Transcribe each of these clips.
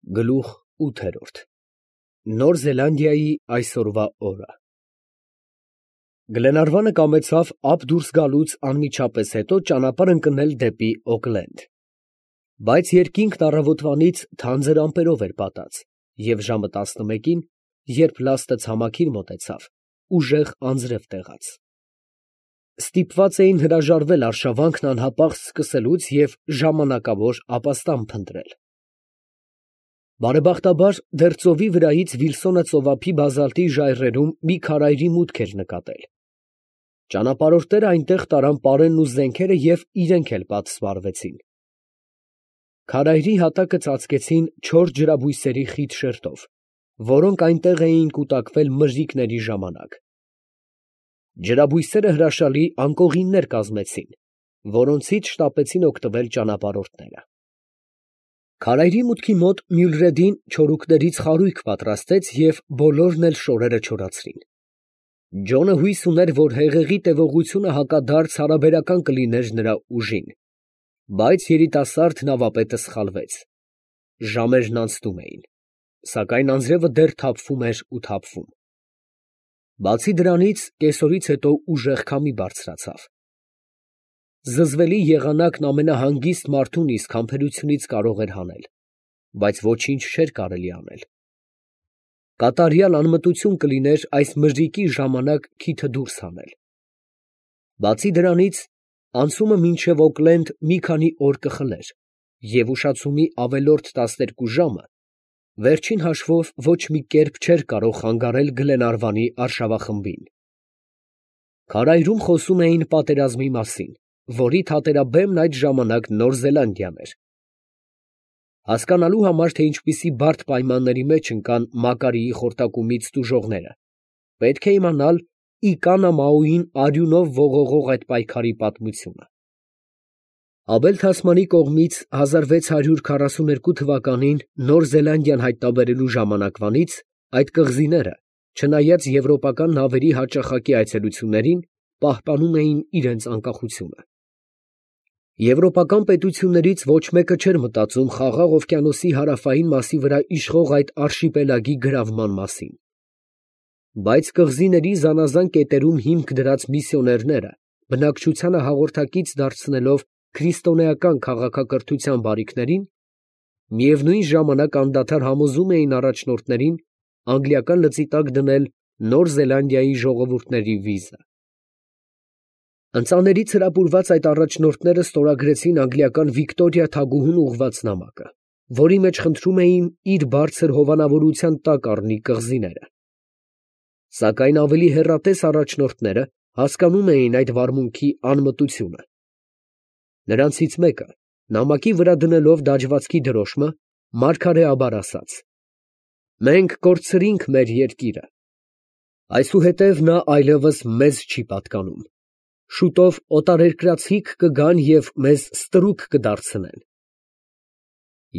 Գլուխ 8 Նոր Զելանդիայի այսօրվա օրը Գլենարվանը կամեցավ ափ դուրս գալուց անմիջապես հետո ճանապարհ ընկնել դեպի Օքլենդ, բայց երկինքն առավոտվանից թանձր ամպերով էր պատած, և ժամը 11-ին, երբ լաստը ցամաքին մոտեցավ, ուժեղ անձրև տեղաց։ Ստիպված էին հրաժարվել արշավանքն անհապաղ սկսելուց և ժամանակավոր ապաստան փնտրել։ Բարեբախտաբար, դեռ ծովի վրայից Վիլսոնը ծովափի բազալտի ժայռերում մի քարայրի մուտք էր նկատել։ Ճանապարհորդները այնտեղ տարան պարենն ու զենքերը և իրենք էլ պատսպարվեցին։ Քարայրի հատակը ծածկեցին չոր ջրաբույսերի խիտ շերտով, որոնք այնտեղ էին կուտակվել մրրիկների ժամանակ։ Ջրաբույսերը հրաշալի անկողիններ կազմեցին, որոնցից շտապեցին օգտվել ճանապարհորդները։ Քարայրի մուտքի մոտ Մյուլրեդին չորուկներից խարույկ պատրաստեց և բոլորն էլ շորերը չորացրին։ Ջոնը հույս ուներ, որ հեղեղի տևողությունը հակադարձ հարաբերական կլիներ նրա ուժին, բայց երիտասարդ նավապետը սխալվեց։ Ժամերն անցնում էին, սակայն անձրևը դեռ թափվում էր ու թափվում։ Բացի դրանից, կեսօրից հետո ուժեղ քամի բարձրացավ։ Զզվելի եղանակն ամենահանգիստ մարդուն իսկ համբերությունից կարող էր հանել, բայց ոչինչ չէր կարելի անել։ Կատարյալ անմտություն կլիներ այս մրրիկի ժամանակ քիթը դուրս հանել։ Բացի դրանից, անցումը մինչև Օքլենդ մի քանի օր կխլեր, և ուշացումի ավելորդ 12 ժամը վերջին հաշվով ոչ մի կերպ չէր կարող խանգարել Գլենարվանի արշավախմբին։ Քարայրում խոսում էին պատերազմի մասին, որի թատերաբեմն այդ ժամանակ Նոր Զելանդիան էր։ Հասկանալու համար, թե ինչպիսի բարդ պայմանների մեջ ընկան Մակարիի խորտակումից տուժողները, պետք է իմանալ Իկանա Մաուին արյունով ողողող այդ պայքարի պատմությունը։ Աբել Թասմանի կողմից 1642 թվականին Նոր Զելանդիան հայտնաբերելու ժամանակվանից այդ կղզիները, չնայած եվրոպական նավերի հաճախակի այցելություններին, պահպանում էին իրենց անկախությունը։ Եվրոպական պետություններից ոչ մեկը չէր մտածում Խաղաղ օվկիանոսի հարավային մասի վրա իշխող այդ արշիպելագի գրավման մասին։ Բայց կղզիների զանազան կետերում հիմք դրած միսիոներները, բնակչությանը հաղորդակից դարձնելով քրիստոնեական քաղաքակրթության բարիքներին, միևնույն ժամանակ անդադար համոզում էին առաջնորդներին անգլիական լծի տակ դնել Նոր Զելանդիայի ժողովուրդների վիզը։ Ընծաներից հրապուրված այդ առաջնորդները ստորագրեցին անգլիական Վիկտորիա թագուհուն ուղղված նամակը, որի մեջ խնդրում էին իր բարձր հովանավորության տակ առնի կղզիները։ Սակայն ավելի հեռատես առաջնորդները հասկանում էին այդ վարմունքի անմտությունը։ Նրանցից մեկը, նամակի վրա դնելով դաջվածքի դրոշմը, մարգարեաբար ասաց. «Մենք կորցրինք մեր երկիրը, այսուհետև նա այլևս մեզ չի պատկանում, շուտով օտարերկրացիք կգան և մեզ ստրուկ կդարձնեն»։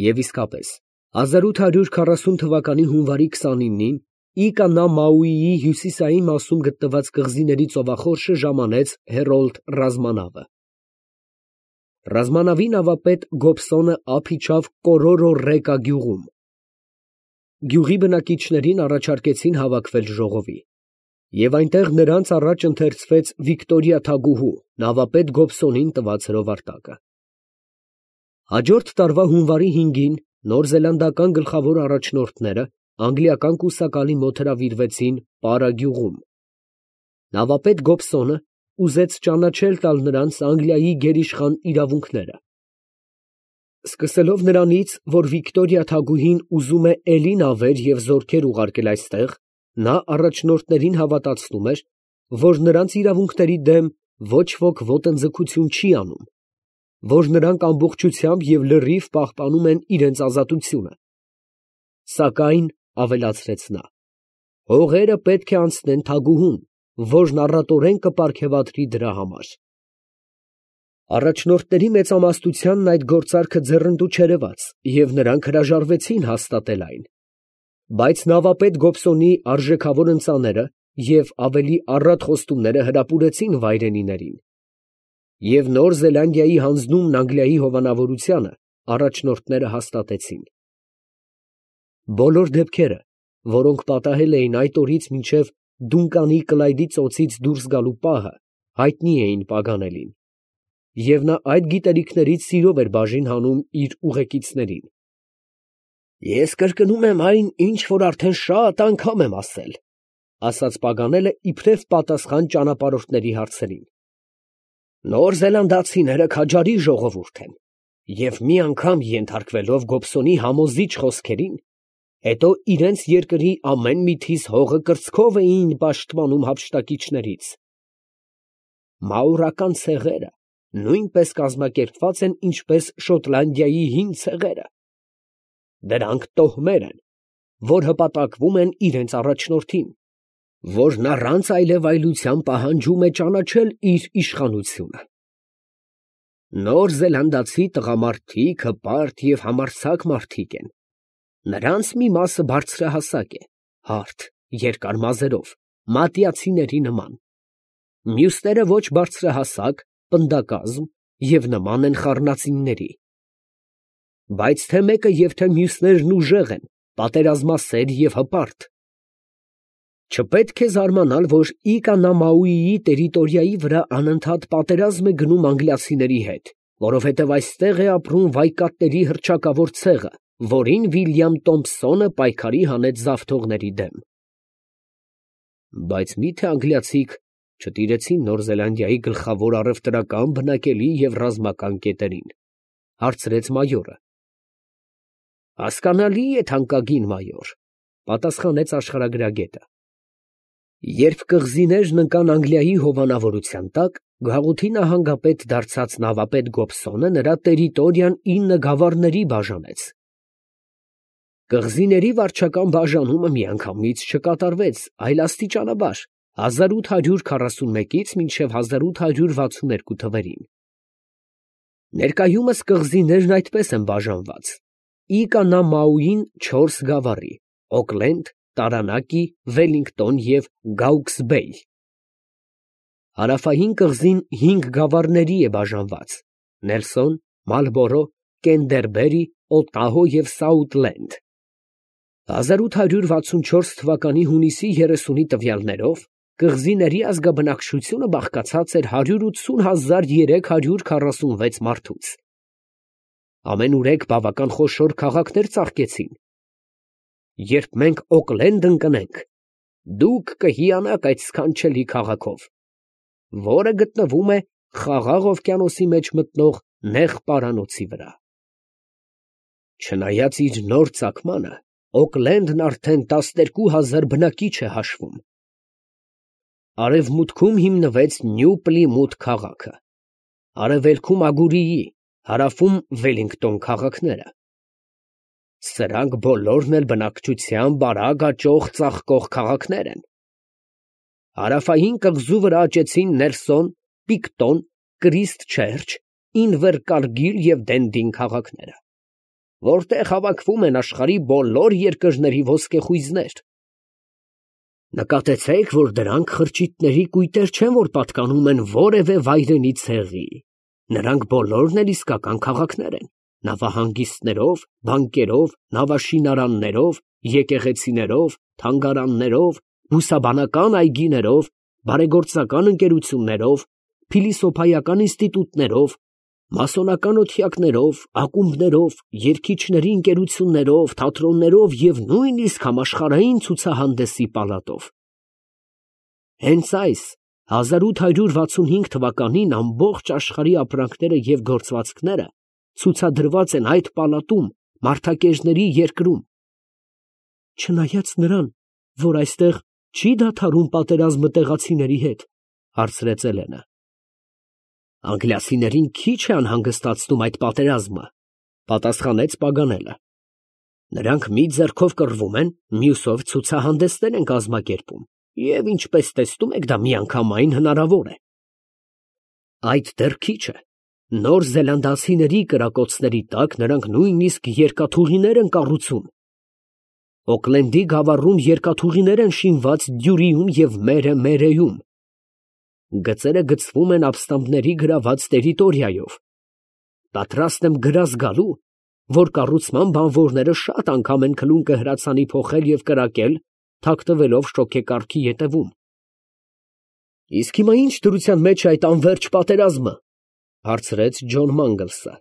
Եվ իսկապես, 1840 թվականի հունվարի 29-ին Իկանա Մաուիի հյուսիսային մասում գտնված կղզիների ծովախորշը ժամանեց Հերոլդ ռազմանավը։ Ռազմանավի նավապետ Գոբսոնը ափ իջավ Կորորո Ռեկա գյուղում։ Գյուղի բնակիչներին առաջարկեցին հավաքվել ժողովի, և այնտեղ նրանց առաջ ընթերցվեց Վիկտորիա թագուհու նավապետ Գոբսոնին տված հրովարտակը։ Հաջորդ տարվա հունվարի 5-ին նորզելանդական գլխավոր առաջնորդները անգլիական կուսակալի մոտ հրավիրվեցին Պարա գյուղում։ Նավապետ Գոբսոնը ուզեց ճանաչել տալ նրանց Անգլիայի գերիշխան իրավունքները։ Սկսելով նրանից, որ Վիկտորիա թագուհին ուզում է էլի նավեր և զորքեր ուղարկել այստեղ, նա առաջնորդներին հավատացնում էր, որ նրանց իրավունքների դեմ ոչ ոք ոտնձգություն չի անում, որ նրանք ամբողջությամբ և լրիվ պահպանում են իրենց ազատությունը։ Սակայն, ավելացրեց նա, հողերը պետք է անցնեն թագուհուն, որն առատորեն կպարգևատրի դրա համար։ Առաջնորդների մեծամասնությանն այդ գործարքը ձեռնտու չերևաց, և նրանք հրաժարվեցին հաստատել այն։ Բայց նավապետ Գոբսոնի արժեքավոր ընծաները և ավելի առատ խոստումները հրապուրեցին վայրենիներին, և Նոր Զելանդիայի հանձնումն Անգլիայի հովանավորությանը առաջնորդները հաստատեցին։ Բոլոր դեպքերը, որոնք պատահել էին այդ օրից մինչև Դունկանի Կլայդի ծոցից դուրս գալու պահը, հայտնի էին Պագանելին, և նա այդ գիտելիքներից սիրով էր բաժին հանում իր ուղեկիցներին։ «Ես կրկնում եմ այն, ինչ որ արդեն շատ անգամ եմ ասել», ֊ ասաց Պագանելը իբրև պատասխան ճանապարհորդների հարցերին. «Նոր զելանդացիները քաջարի ժողովուրդ են, և մի անգամ ենթարկվելով Գոբսոնի համոզիչ խոսքերին, հետո իրենց երկրի ամեն մի թիզ հողը կրծքով էին պաշտպանում հափշտակիչներից։ Մաուրական ցեղերը նույնպես կազմակերպված են, ինչպես Շոտլանդիայի հին ցեղերը. դրանք տոհմեր են, որ հպատակվում են իրենց առաջնորդին, որն առանց այլևայլության պահանջում է ճանաչել իր իշխանությունը։ Նոր զելանդացի տղամարդիկ հպարտ և համարձակ մարդիկ են. նրանց մի մասը բարձրահասակ է, հարթ, երկար մազերով, մատիացիների նման, մյուսները ոչ բարձրահասակ, պնդակազմ և նման են խառնածինների։ Բայց թե մեկը և թե մյուսներն ուժեղ են, պատերազմասեր և հպարտ։ Չպետք է զարմանալ, որ Իկանամաուիի տերիտորիայի վրա անընդհատ պատերազմ է գնում անգլիացիների հետ, որովհետև այստեղ է ապրում վայկատների հռչակավոր ցեղը, որին Վիլյամ Տոմփսոնը պայքարի հանեց զավթողների դեմ։ Բայց մի՞թե անգլիացիք չտիրեցին Նոր Զելանդիայի գլխավոր առևտրական, բնակելի և ռազմական կետերին, ֊ հարցրեց մայորը։ Հասկանալի է, թանկագին մայոր, ֊ պատասխանեց աշխարհագրագետը։ Երբ կղզիներն ընկան Անգլիայի հովանավորության տակ, գաղութի նահանգապետ դարձած նավապետ Գոբսոնը նրա տերիտորիան 9 գավառների բաժանեց։ Կղզիների վարչական բաժանումը միանգամից չկատարվեց, այլ աստիճանաբար 1841-ից մինչև 1862 թվերին։ Ներկայումս կղզիներն այդպես են բաժանված. Իկանամաուին 4 գավառի՝ Օքլենդ, Տարանակի, Վելլինգտոն և Գաուքսբեյ։ Հարավային կղզին 5 գավառների է բաժանված՝ Նելսոն, Մալբորո, Կենդերբերի, Օտահո և Սաութլենդ։ 1864 թվականի հունիսի 30-ի տվյալներով կղզիների ազգաբնակչությունը բաղկացած էր 180,346 մարդուց։ Ամենուրեք բավական խոշոր քաղաքներ ծաղկեցին։ Երբ մենք Օքլենդ ընկնենք, դուք կհիանաք այդ սքանչելի քաղաքով, որը գտնվում է Խաղաղ օվկիանոսի մեջ մտնող նեղ պարանոցի վրա։ Չնայած իր նոր ծագմանը, Օքլենդն արդեն 12,000 բնակիչ է հաշվում։ Արևմուտքում հիմնվեց Նյու Պլիմութ քաղաքը, արևելքում Ագուրիի, հարավում Վելլինգտոն քաղաքները։ Սրանք բոլորն էլ բնակչության բարակ աճող ծաղկող քաղաքներ են։ Հարավային կղզու վրա աճեցին Նելսոն, Պիկտոն, Կրիսթչերչ, Ինվերկարգիլ և Դենդին քաղաքները, որտեղ հավաքվում են աշխարհի բոլոր երկրների ոսկեխույզներ։ Նկատեցեք, որ դրանք խրճիթների կույտեր չեն, որ պատկանում են որևէ վայրենի ցեղի։ Նրանք բոլորն էլ իսկական քաղաքներ են, նավահանգիստներով, բանկերով, նավաշինարաններով, եկեղեցիներով, թանգարաններով, բուսաբանական այգիներով, բարեգործական ընկերություններով, փիլիսոփայական ինստիտուտներով, մասոնական օթյակներով, ակումբներով, երգիչների ընկերություններով, թատրոններով և նույնիսկ համաշխարհային ցուցահանդեսի պալատով։ Հենց այս 1865 թվականին ամբողջ աշխարհի ապրանքները և գործվածքները ցուցադրված են այդ պալատում Մարդակերների երկրում։ Չնայած նրան, որ այստեղ չի դադարում պատերազմը տեղացիների հետ, հարցրեց Էլենը։ Անգլիացիներին քիչ է անհանգստացնում այդ պատերազմը, պատասխանեց Պագանելը։ Նրանք մի ձեռքով կռվում են, մյուսով ցուցահանդեսներ են կազմակերպում, և ինչպես տեսնում եք, դա միանգամայն հնարավոր է։ Այդ դեռ քիչ է։ Նոր զելանդացիների կրակոցների տակ նրանք նույնիսկ երկաթուղիներ են կառուցում։ Օքլենդի գավառում երկաթուղիներ են շինված Դյուրիում և Մերեյում։ Գծերը գծվում են ապստամբների գրաված տերիտորիայով։ Պատրաստ եմ գրազ գալու, որ կառուցման բանվորները շատ անգամ են քլունկը հրացանի փոխել և կրակել, թաքնվելով շոգեկառքի ետևում։ Իսկ հիմա ի՞նչ դրության մեջ է այդ անվերջ պատերազմը, հարցրեց Ջոն Մանգլսը։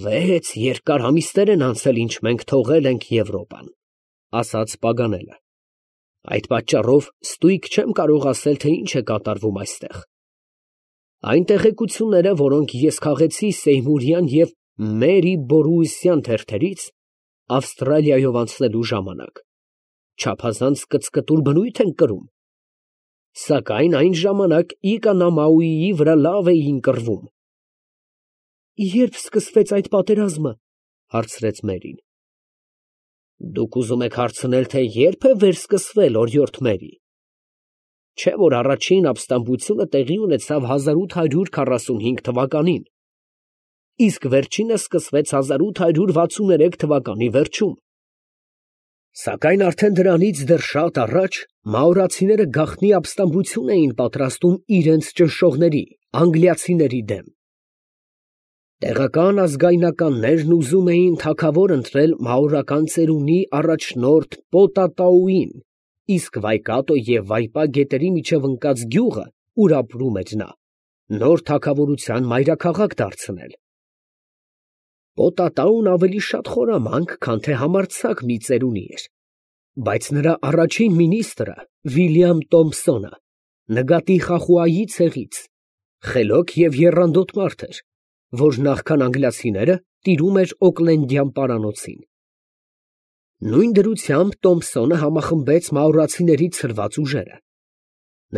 6 երկար ամիսներ են անցել, ինչ մենք թողել ենք Եվրոպան, ասաց Պագանելը։ Այդ պատճառով ստույգ չեմ կարող ասել, թե ինչ է կատարվում այստեղ։ Այն տեղեկությունները, որոնք ես քաղեցի Սեյմուրյան և Մերի Բորուիսյան թերթերից Ավստրալիայով անցնելու ժամանակ, չափազանց կծկտուր բնույթ են կրում, սակայն այն ժամանակ Իկանամաուիի վրա լավ էին կռվում։ Երբ սկսվեց այդ պատերազմը, հարցրեց Մերին։ Դուք ուզում եք հարցնել, թե երբ է վերսկսվել, օրիորդ Մերի։ Չէ՞ որ առաջին ապստամբությունը տեղի ունեցավ 1845 թվականին, իսկ վերջինը սկսվեց 1863 թվականի վերջում։ Սակայն արդեն դրանից դեռ շատ առաջ մաորացիները գաղտնի ապստամբություն էին պատրաստում իրենց ճնշողների, անգլիացիների դեմ։ Տեղական ազգայնականներն ուզում էին թագավոր ընտրել մաորական ծերունի առաջնորդ Պոտատաուին, իսկ Վայկատո և Վայպա գետերի միջև ընկած գյուղը, ուր ապրում էր նա, նոր թագավորության մայրաքաղաք դարձնել։ Պոտատաուն ավելի շատ խորամանկ, քան թե համարձակ մի ծերունի էր, բայց նրա առաջին մինիստրը Վիլյամ Տոմփսոնը նգատի Խախուայի ցեղից, խելոք և եռանդոտ մարդ էր, որ նախքան անգլիացիները տիրում էր Օքլենդյան պարանոցին։ Նույն դրությամբ Տոմփսոնը համախմբեց մաորացիների ցրված ուժերը։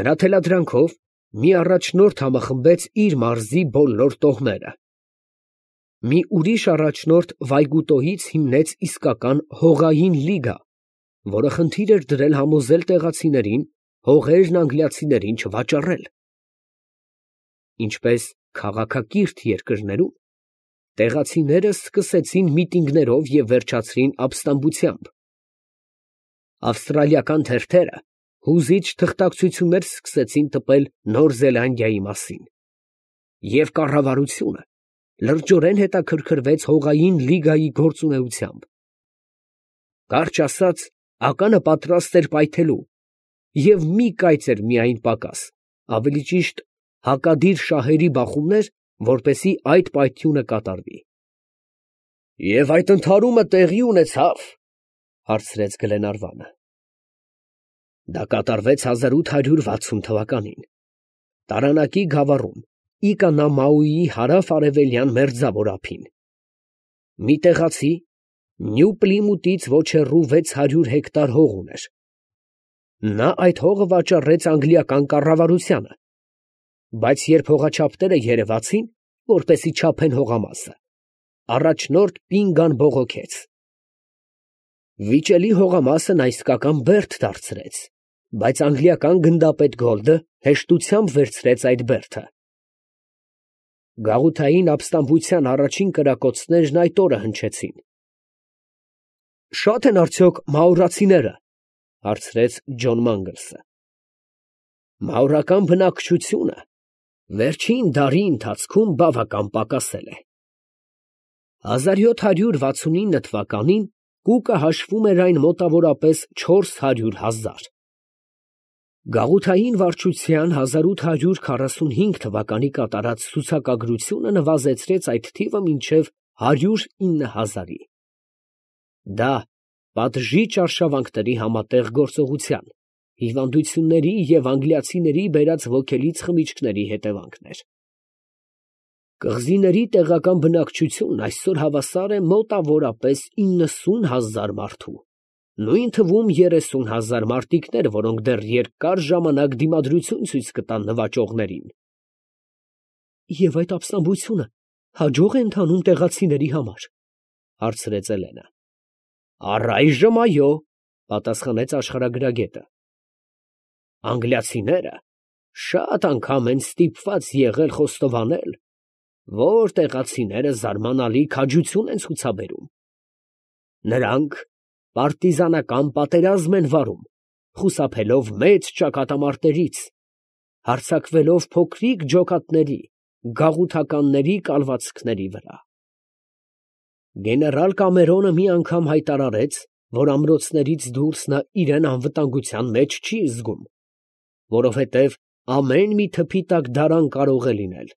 Նրա թելադրանքով մի առաջնորդ համախմբեց իր մարզի բոլոր տոհմերը։ Մի ուրիշ առաջնորդ Վայգուտոյից հիմնեց իսկական հողային լիգա, որը խնդիր էր դրել համոզել տեղացիներին հողերն անգլիացիներին չվաճառել։ Ինչպես քաղաքակիրթ երկրներում, տեղացիները սկսեցին միտինգներով և վերջացրին ապստամբությամբ։ Ավստրալիական թերթերը հուզիչ թղթակցություններ սկսեցին տպել Նոր Զելանդիայի մասին, և կառավարությունը լրջորեն հետաքրքրվեց հողային լիգայի գործունեությամբ։ Կարճ ասած, ականը պատրաստ էր պայթելու, և մի կայծ էր միայն պակաս, ավելի ճիշտ հակադիր շահերի բախումներ, որպեսզի այդ պայթյունը կատարվի։ Եվ այդ ընդհարումը տեղի ունեցավ, հարցրեց Գլենարվանը։ Դա կատարվեց 1860 թվականին, Տարանակի գավառում, Իկանամաուիի հարավ֊արևելյան մերձավոր ափին։ Մի տեղացի Նյու Պլիմութից ոչ հեռու 600 հեկտար հող ուներ։ Նա այդ հողը վաճառեց անգլիական կառավարությանը, բայց երբ հողաչափները երևացին, որպեսզի չափեն հողամասը, առաջնորդ Պինգան բողոքեց։ Վիճելի հողամասը նա իսկական բերդ դարձրեց, բայց անգլիական գնդապետ Գոլդը հեշտությամբ վերցրեց այդ բերդը։ Գաղութային ապստամբության առաջին կրակոցներն այդ օրը հնչեցին։ Շա՞տ են արդյոք մաորացիները, հարցրեց Ջոն Մանգլսը։ Մաորական բնակչությունը վերջին դարի ընթացքում բավական պակասել է։ 1769 թվականին կուկը հաշվում էր այն մոտավորապես 400,000։ Գաղութային վարչության 1845 թվականի կատարած ցուցակագրությունը նվազեցրեց այդ թիվը մինչև 109,000-ի։ Դա պատժի արշավանքների համատեղ գործողության, հիվանդությունների և անգլիացիների բերած ոգելից խմիչքների հետևանքն էր։ Կղզիների տեղական բնակչությունն այսօր հավասար է մոտավորապես 90,000 մարդու, նույն թվում 30,000 մարտիկներ, որոնք դեռ երկար ժամանակ դիմադրություն ցույց կտան նվաճողներին։ Եվ այդ ապստամբությունը հաջող է ընթանում տեղացիների համար, հարցրեց Էլենը։ Առայժմ այո, պատասխանեց աշխարհագրագետը։ Անգլիացիները շատ անգամ են ստիպված եղել խոստովանել, որ տեղացիները զարմանալի քաջություն են ցուցաբերում։ Նրանք պարտիզանական պատերազմ են վարում, խուսափելով մեծ ճակատամարտերից, հարձակվելով փոքրիկ ջոկատների, գաղութականների կալվածքների վրա։ Գեներալ Կամերոնը մի անգամ հայտարարեց, որ ամրոցներից դուրս նա իրան անվտանգության մեջ չի զգում, որովհետև ամեն մի թփի տակ դարան կարող է լինել։